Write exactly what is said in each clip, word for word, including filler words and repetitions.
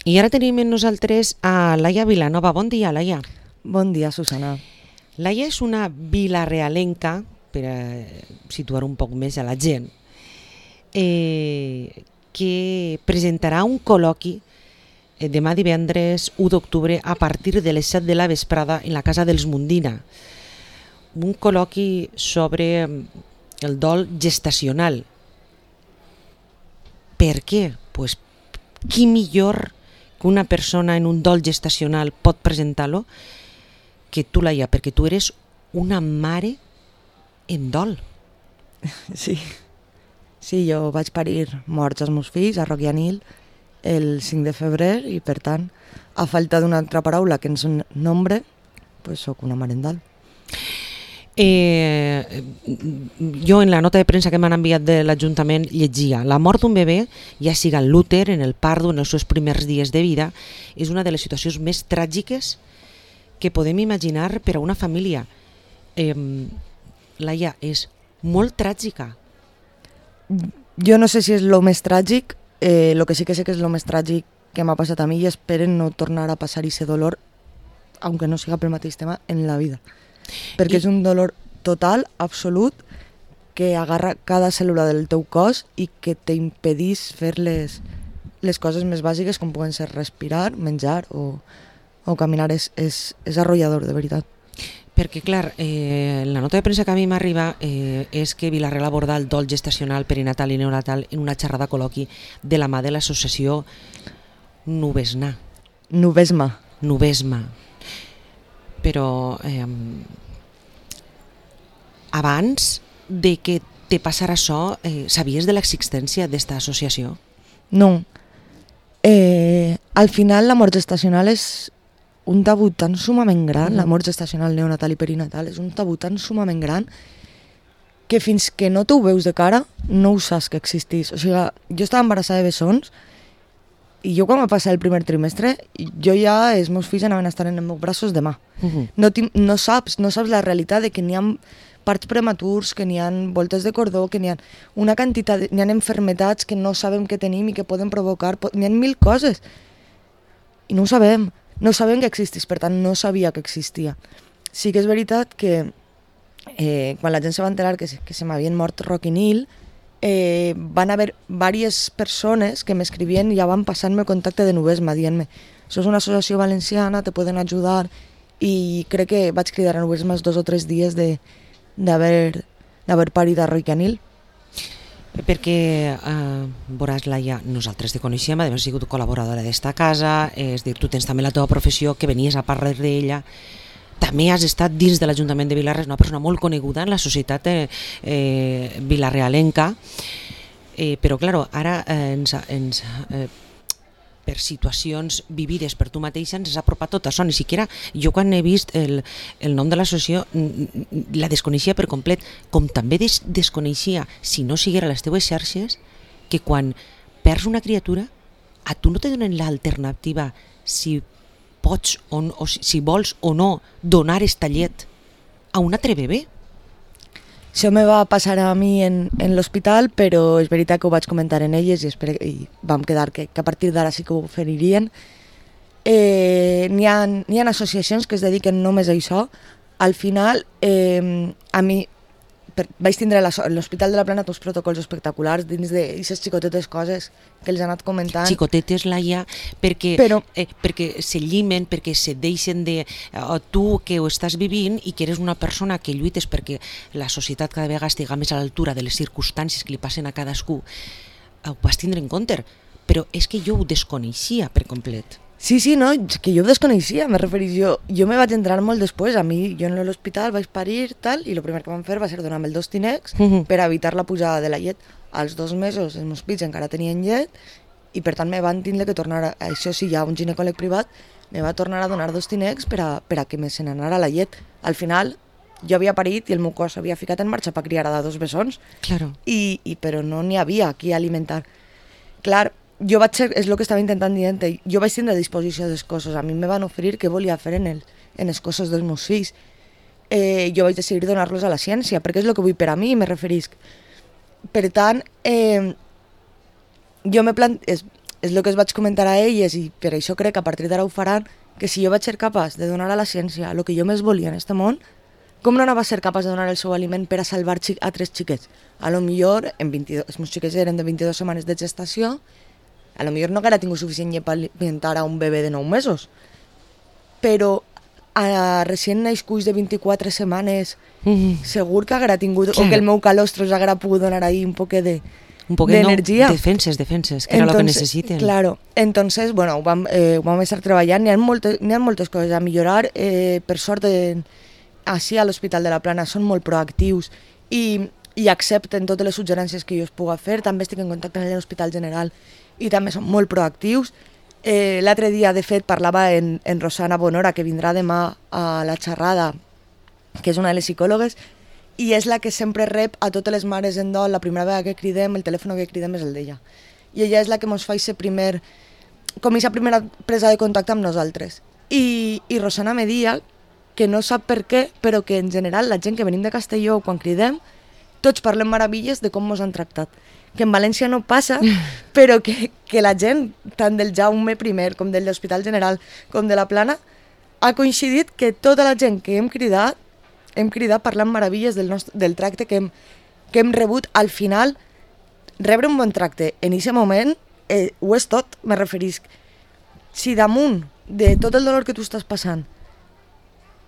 I ara tenim amb nosaltres a Laia Vilanova. Bon dia, Laia. Bon dia, Susana. Laia és una vilarealenca, per a situar un poc més a la gent, eh, que presentarà un col·loqui eh, demà divendres u d'octubre a partir de les set de la vesprada en la Casa dels Mundina. Un col·loqui sobre el dol gestacional. Per què? Pues, qui millor que una persona en un dol gestacional pot presentar-lo que tu, Laia, perquè tu eres una mare en dol. Sí, sí, jo vaig parir morts els meus fills a Roquianil el cinc de febrer i, per tant, a falta d'una altra paraula que ens nombre, pues soc una mare en dol. Eh, jo en la nota de premsa que m'han enviat de l'Ajuntament llegia: la mort d'un bebè, ja siga en l'úter, en el pardo, en els seus primers dies de vida, és una de les situacions més tràgiques que podem imaginar per a una família. Eh, Laia, és molt tràgica. Jo no sé si és el més tràgic, eh, el que sí que sé que és el més tràgic que m'ha passat a mi i esperen no tornar a passar aquest dolor, aunque no siga pel mateix tema, en la vida. Perquè I... és un dolor total, absolut, que agarra cada cèl·lula del teu cos i que t'impedís fer les, les coses més bàsiques com poden ser respirar, menjar o, o caminar. És, és, és arrollador, de veritat. Perquè, clar, eh, la nota de premsa que a mi m'arriba eh, és que Vila-real aborda el dol gestacional, perinatal i neonatal en una xerrada col·loqui de la mà de l'associació Nubesna. Nubesma. Nubesma. Però eh, abans de que te passara això, eh, sabies de l'existència d'esta associació? No. Eh, al final la mort gestacional és un tabú tan sumament gran, mm. la mort gestacional, neonatal i perinatal, és un tabú tan sumament gran que fins que no t'ho veus de cara no ho saps que existís. O sigui, jo estava embarassada de bessons i jo quan va passar el primer trimestre, jo ja, els meus fills anaven a estar en els meus braços demà. Uh-huh. No, no saps, no saps la realitat de que n'hi ha parts prematurs, que n'hi ha voltes de cordó, que n'hi ha una quantitat, n'hi ha enfermetats que no sabem que tenim i que poden provocar, n'hi ha mil coses. I no ho sabem, no sabem que existís, per tant no sabia que existia. Sí que és veritat que eh, quan la gent se va enterar que, que se m'havien mort Roquianil, Eh, van haver diverses persones que m'escrivien i ja van passar-me el contacte de Nubesma dient-me: això és una associació valenciana, te poden ajudar, i crec que vaig cridar a Nubesma els dos o tres dies d'haver d'haver parit a Roquianil. Perquè, eh, veuràs, Laia, nosaltres te coneixem, has sigut col·laboradora d'esta casa, és dir, tu tens també la teva professió, que venies a parlar d'ella. També has estat dins de l'Ajuntament de Vila-real, una persona molt coneguda en la societat eh, eh, vilarealenca, eh, però clar, ara eh, ens, ens, eh, per situacions vivides per tu mateixa ens has apropat tot això. Ni siquiera jo quan he vist el, el nom de l'associació la desconeixia per complet, com també des, desconeixia, si no siguera les teves xarxes, que quan perds una criatura a tu no te donen l'alternativa si pots o, no, o si vols o no donar esta llet a un altre bebè. Això me va passar a mi en, en l'hospital, però és veritat que ho vaig comentar en elles i, espero, i vam quedar que, que a partir d'ara sí que ho oferirien. Eh, n'hi ha, n'hi ha associacions que es dediquen només a això. Al final, eh, a mi per, vaig tindre a l'Hospital de la Plana uns protocols espectaculars dins d'aquestes xicotetes coses que els han anat comentant. Xicotetes, Laia, perquè, Però, eh, perquè se llimen, perquè se deixen de... Eh, tu que ho estàs vivint i que eres una persona que lluites perquè la societat cada vegada estiga més a l'altura de les circumstàncies que li passen a cadascú, ho vas tindre en compte, però és que jo ho desconeixia per complet. Sí, sí, no, que jo ho desconeixia, me referís jo. Jo me vaig entrar molt després, a mi, jo en l'hospital vaig parir, tal, i el primer que van fer va ser donar-me el dos Tinex uh-huh. per evitar la pujada de la llet. Als dos mesos els meus fills encara tenien llet i per tant me van tindre que tornar, a, això sí, hi ha un ginecòleg privat, me va tornar a donar dos Tinex per a, per a que me se n'anara la llet. Al final, jo havia parit i el meu cos s'havia ficat en marxa per criar a dos bessons, claro. I, i, però no n'hi havia qui alimentar. Clar, jo vaig ser, és el que estava intentant dir, jo vaig tindre a disposició dels cossos, a mi me van oferir què volia fer en, el, en els cossos dels meus fills. Eh, jo vaig decidir donar-los a la ciència, perquè és el que vull per a mi, me referisc. Per tant, eh, jo me plant... És, és el que es vaig comentar a elles i per això crec que a partir d'ara ho faran, que si jo vaig ser capaç de donar a la ciència el que jo més volia en aquest món, com no anava a ser capaç de donar el seu aliment per a salvar xi- a tres xiquets? A lo millor, en vint-i-dos, els meus xiquets eren de vint-i-dues setmanes de gestació, a lo millor no haguera tingut suficient llet per alimentar a un bebè de nou mesos, però a recient naixcuts de vint-i-quatre setmanes Mm. segur que haguera tingut, Claro. o que el meu calostro us haguera pogut donar ahí un poc de Un poquet, no, d'energia. defenses, defenses, que era el que Entonces, necessiten. Claro, entonces, bueno, ho vam, eh, ho vam estar treballant, n'hi ha, moltes, n'hi ha moltes coses a millorar, eh, per sort, eh, així a l'Hospital de la Plana són molt proactius i, i accepten totes les suggerències que jo us puga fer, també estic en contacte amb l'Hospital General i també són molt proactius. Eh, L'altre dia, de fet, parlava en, en Rosana Bonora, que vindrà demà a la xerrada, que és una de les psicòlogues, i és la que sempre rep a totes les mares en dol, la primera vegada que cridem, el telèfon que cridem és el d'ella. I ella és la que ens fa ser primer, com aquesta primera presa de contacte amb nosaltres. I, i Rosana me dia que no sap per què, però que en general la gent que venim de Castelló, quan cridem, tots parlem meravilles de com ens han tractat. Que en València no passa, però que, que la gent, tant del Jaume primer, com de l'Hospital General, com de la Plana, ha coincidit que tota la gent que hem cridat, hem cridat parlant meravilles del, nostre, del tracte que hem, que hem rebut. Al final, rebre un bon tracte en aquest moment eh, ho és tot, me referisc. Si damunt de tot el dolor que tu estàs passant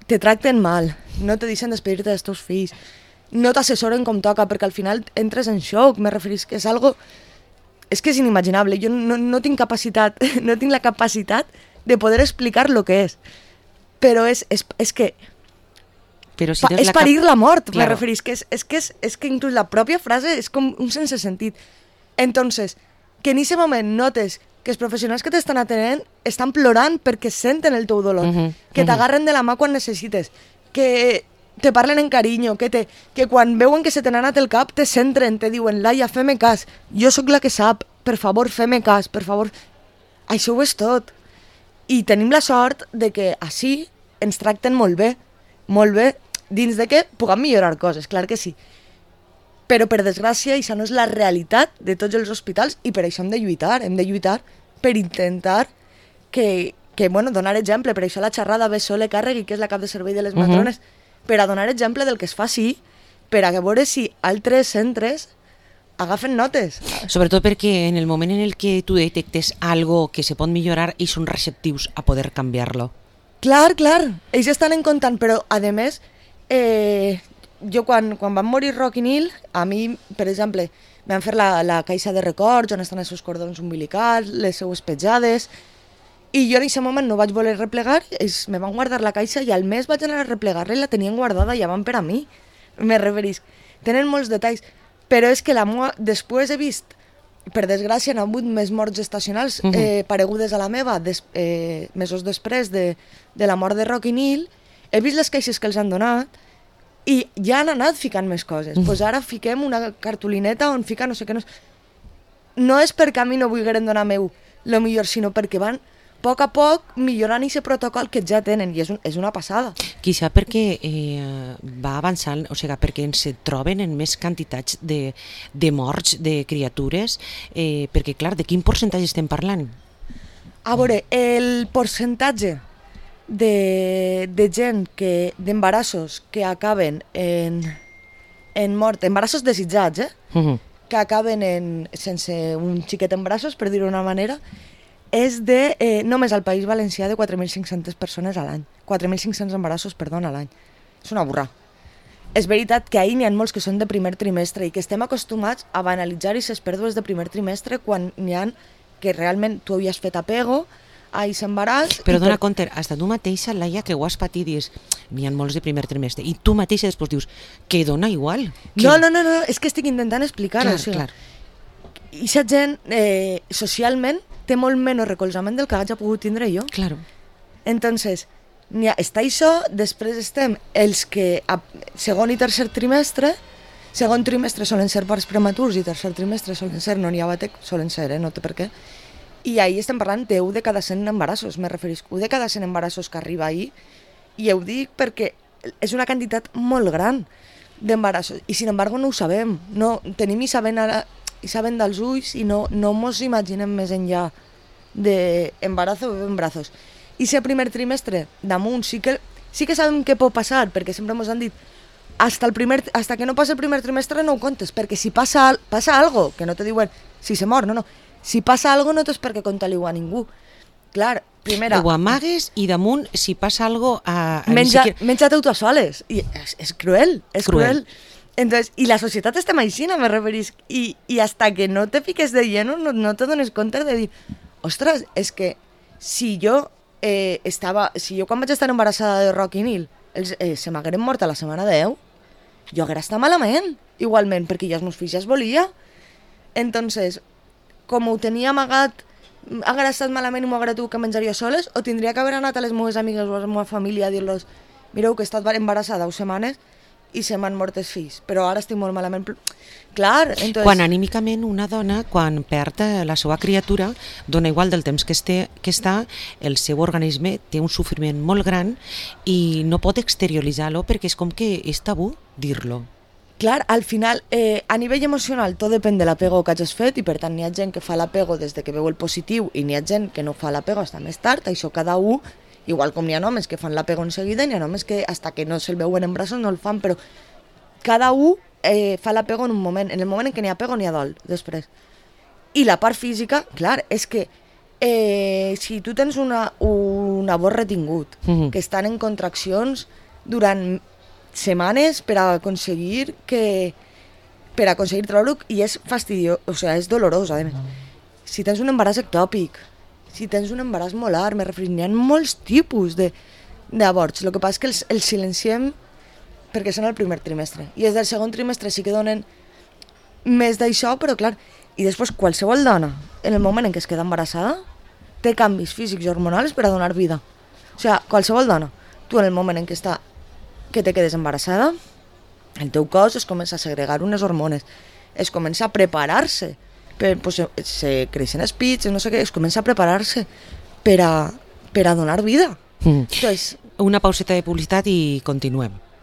te tracten mal, no te deixen despedir-te dels teus fills, no t'assessoren com toca, perquè al final entres en xoc, me referisc que és algo... És que és inimaginable, jo no, no tinc capacitat, no tinc la capacitat de poder explicar lo que és, però és, és, és que Però si Pa, tens és la cap- parir la mort, me Claro. referís, que és, és, que és, és que inclús la pròpia frase és com un sense sentit. Entonces, que en aquest moment notes que els professionals que t'estan atenent estan plorant perquè senten el teu dolor, Mhm, que mhm. t'agarren de la mà quan necessites, que te parlen en carinyo, que, te, que quan veuen que se te n'ha anat el cap te centren, te diuen, Laia, fem-me cas, jo sóc la que sap, per favor, fem-me cas, per favor. Això ho és tot. I tenim la sort de que així ens tracten molt bé, molt bé, dins de que puguem millorar coses, clar que sí. Però, per desgràcia, això no és la realitat de tots els hospitals i per això hem de lluitar, hem de lluitar per intentar que, que bueno, donar exemple. Per això la xerrada ve Sole Càrregui, que és la cap de servei de les Mhm. matrones, per a donar exemple del que es fa així, per a veure si altres centres agafen notes. Sobretot perquè en el moment en el que tu detectes algo que se pot millorar i són receptius a poder canviar-lo. Clar, clar, ells estan en comptant, però a més, eh, jo quan, quan van morir Roc i Nil, a mi, per exemple, me van fer la, la caixa de records on estan els seus cordons umbilicals, les seues petjades, i jo en aquest moment no vaig voler replegar, ells me van guardar la caixa i al mes vaig anar a replegar-la i la tenien guardada i ja van per a mi, me referisc. Tenen molts detalls, però és que la meua, després he vist, per desgràcia, han hagut més morts gestacionals Mhm. eh, paregudes a la meva, des, eh, mesos després de, de la mort de Roc i Nil, he vist les caixes que els han donat i ja han anat ficant més coses. Doncs pues ara fiquem una cartolineta on fica no sé què. No, no és perquè a mi no vulgueren donar meu lo millor, sinó perquè van a poc a poc millorant aquest protocol que ja tenen i és, un, és una passada. Quizà perquè eh, va avançant, o sigui, perquè ens troben en més quantitats de, de morts de criatures, eh, perquè, clar, de quin percentatge estem parlant? A veure, el percentatge de, de gent que d'embarassos que acaben en, en mort, embarassos desitjats, eh? Mhm. que acaben en, sense un xiquet en braços, per dir-ho d'una manera, és de, eh, només al País Valencià, de quatre mil cinc-centes persones a l'any. quatre mil cinc-cents embarassos, perdona, a l'any. És una burra. És veritat que ahir n'hi ha molts que són de primer trimestre i que estem acostumats a banalitzar aquestes pèrdues de primer trimestre quan n'hi ha que realment tu havies fet apego a aquest embaràs. Però i dona per- compte, hasta tu mateixa, Laia, que ho has patit, dius, n'hi ha molts de primer trimestre, i tu mateixa després dius, que dona igual. Que... No, no, no, no, és que estic intentant explicar-ho. Clar, o sigui, clar. I aquesta gent, eh, socialment, té molt menys recolzament del que hagi pogut tindre jo. Claro. Entonces, n'hi ha, està això, després estem els que a segon i tercer trimestre, segon trimestre solen ser parts prematurs i tercer trimestre solen ser no n'hi ha batec, solen ser, eh, no té per què. I ahir estem parlant de u de cada cent embarassos, me referisc, u de cada cent embarassos que arriba ahir, i ho dic perquè és una quantitat molt gran d'embarassos, i sin embargo no ho sabem, no, tenim i sabent ara i saben dels ulls i no, no mos imaginem més enllà d'embarazo o en brazos. I si el primer trimestre damunt sí que, sí que sabem què pot passar, perquè sempre ens han dit hasta, el primer, hasta que no passa el primer trimestre no ho contes, perquè si passa, passa algo, que no te diuen si se mor, no, no, si passa algo no tens per què contar-li-ho a ningú. Clar, primera... Ho amagues i damunt, si passa algo... A, a menja, siquiera... menja-te tu a soles. I és, és cruel, és cruel. cruel. Entonces, i la societat estem així, no me referís. I, I hasta que no te fiques de lleno, no, no te dones compte de dir, ostres, és que si jo eh, estava... Si jo quan vaig estar embarassada de Rocky Nil, els, eh, se m'hagueren mort a la setmana deu, jo haguera estat malament, igualment, perquè ja els meus fills ja es volia. Entonces, com ho tenia amagat, haguera estat malament i m'ho haguera tingut que menjar jo soles, o tindria que haver anat a les meves amigues o a la meva família a dir-los mireu que he estat embarassada deu setmanes i se m'han mort els fills, però ara estic molt malament. Clar, entonces... Quan anímicament una dona, quan perd la seva criatura, dona igual del temps que, este, que està, el seu organisme té un sofriment molt gran i no pot exterioritzar-lo perquè és com que és tabú dir-lo. Clar, al final, eh, a nivell emocional, tot depèn de l'apego que hagis fet i per tant n'hi ha gent que fa l'apego des de que veu el positiu i n'hi ha gent que no fa l'apego fins més tard, això cada un, igual com n'hi ha homes que fan l'apego en seguida, n'hi ha homes que hasta que no se'l veuen en braços no el fan, però cada un eh, fa l'apego en un moment, en el moment en què n'hi ha apego n'hi ha dol, després. I la part física, clar, és que eh, si tu tens una, un abort retingut, mm-hmm. que estan en contraccions durant setmanes per a aconseguir que per a aconseguir treure-ho i és fastidiós, o sigui, és dolorós a més. Si tens un embaràs ectòpic, si tens un embaràs molar, me refereixo, n'hi ha molts tipus d'avorts, el que passa és que els, els silenciem perquè són el primer trimestre i des del segon trimestre sí que donen més d'això, però clar, i després qualsevol dona en el moment en què es queda embarassada té canvis físics i hormonals per a donar vida, o sigui, qualsevol dona, tu en el moment en què està que te quedes embarassada, el teu cos es comença a segregar unes hormones, es comença a preparar-se, per, pues, se creixen els pits, no sé què, es comença a preparar-se per a, per a donar vida. Mm. Entonces, una pauseta de publicitat i continuem.